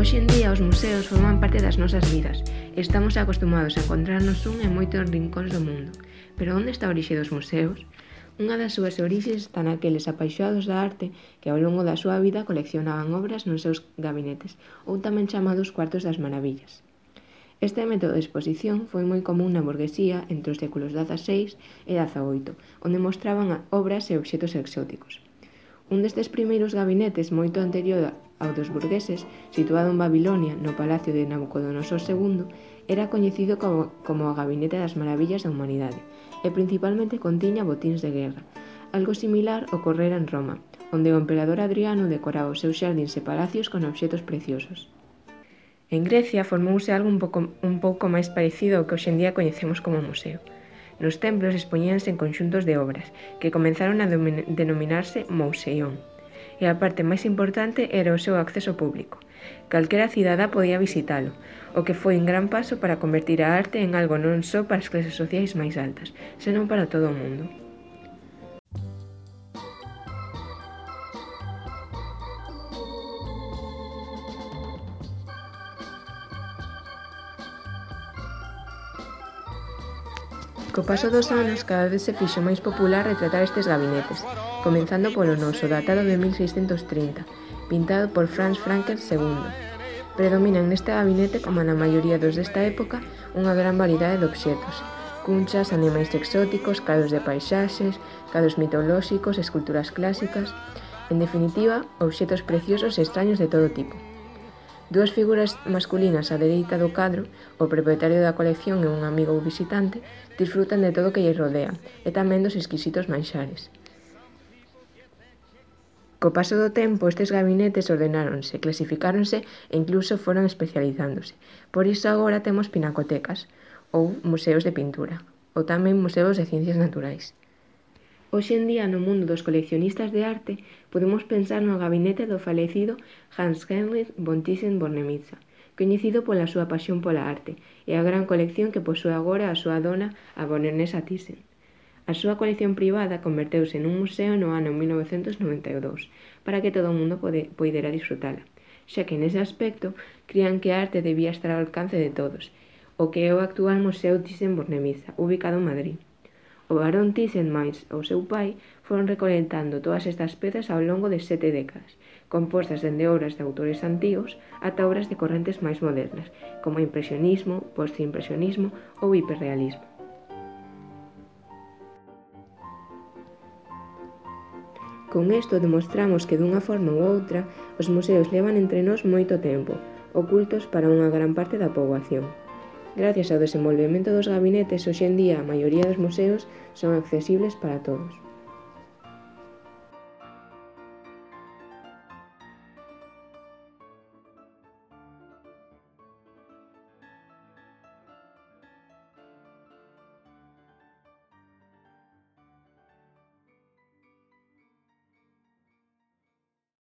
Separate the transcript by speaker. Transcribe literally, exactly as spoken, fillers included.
Speaker 1: Hoxe en día os museos forman parte das nosas vidas e estamos acostumados a encontrarnos un en moitos rincóns do mundo. Pero onde está a orixe dos museos? Unha das súas orixes está naqueles apaixoados da arte que ao longo da súa vida coleccionaban obras nos seus gabinetes, ou tamén chamados cuartos das maravillas. Este método de exposición foi moi común na burguesía entre os séculos dezaseis e dezaoito, onde mostraban obras e obxetos exóticos. Un destes primeiros gabinetes, moito anterior ao dos burgueses, situado en Babilonia, no palacio de Nabucodonosor segundo, era coñecido como, como o Gabinete das Maravillas da Humanidade e principalmente contiña botíns de guerra. Algo similar ocorrera en Roma, onde o emperador Adriano decoraba os seus xardíns e palacios con obxetos preciosos. En Grecia formouse algo un pouco, un pouco máis parecido ao que hoxe en día coñecemos como museo. Nos templos expoñíanse en conxuntos de obras, que comenzaron a denominarse mouseion, e a parte máis importante era o seu acceso público. Calquera cidadá podía visitalo, o que foi un gran paso para convertir a arte en algo non só para as clases sociais máis altas, senón para todo o mundo. Co paso dos anos, cada vez se fixo máis popular retratar estes gabinetes, comenzando polo noso, datado de mil seiscentos trinta, pintado por Franz Frankel segundo. Predominan neste gabinete, como na maioría dos desta época, unha gran variedade de obxetos: cunchas, animais exóticos, cadros de paisaxes, cadros mitolóxicos, esculturas clásicas, en definitiva, obxetos preciosos e extraños de todo tipo. Dúas figuras masculinas á dereita do cadro, o propietario da colección e un amigo ou visitante, disfrutan de todo o que lle rodea e tamén dos exquisitos manxares. Co paso do tempo, estes gabinetes ordenáronse, clasificáronse e incluso foron especializándose. Por iso agora temos pinacotecas, ou museos de pintura, ou tamén museos de ciencias naturais. Hoxe en día, no mundo dos coleccionistas de arte, podemos pensar no gabinete do falecido Hans Heinrich von Thyssen-Bornemisza, coñecido pola súa pasión pola arte e a gran colección que posúe agora a súa dona, a baronesa Thyssen. A súa colección privada converteuse nun museo no ano mil novecentos noventa e dous para que todo o mundo pode, poidera disfrutala, xa que nese aspecto crían que a arte debía estar ao alcance de todos, o que é o actual Museo Thyssen-Bornemisza, ubicado en Madrid. O barón Thyssen máis o seu pai foron recolectando todas estas pezas ao longo de sete décadas, compostas dende obras de autores antigos ata obras de correntes máis modernas, como o impresionismo, postimpresionismo ou hiperrealismo. Con isto demostramos que dunha forma ou outra os museos levan entre nós moito tempo, ocultos para unha gran parte da poboación. Gracias ao desenvolvemento dos gabinetes, hoxe en día a maioría dos museos son accesibles para todos.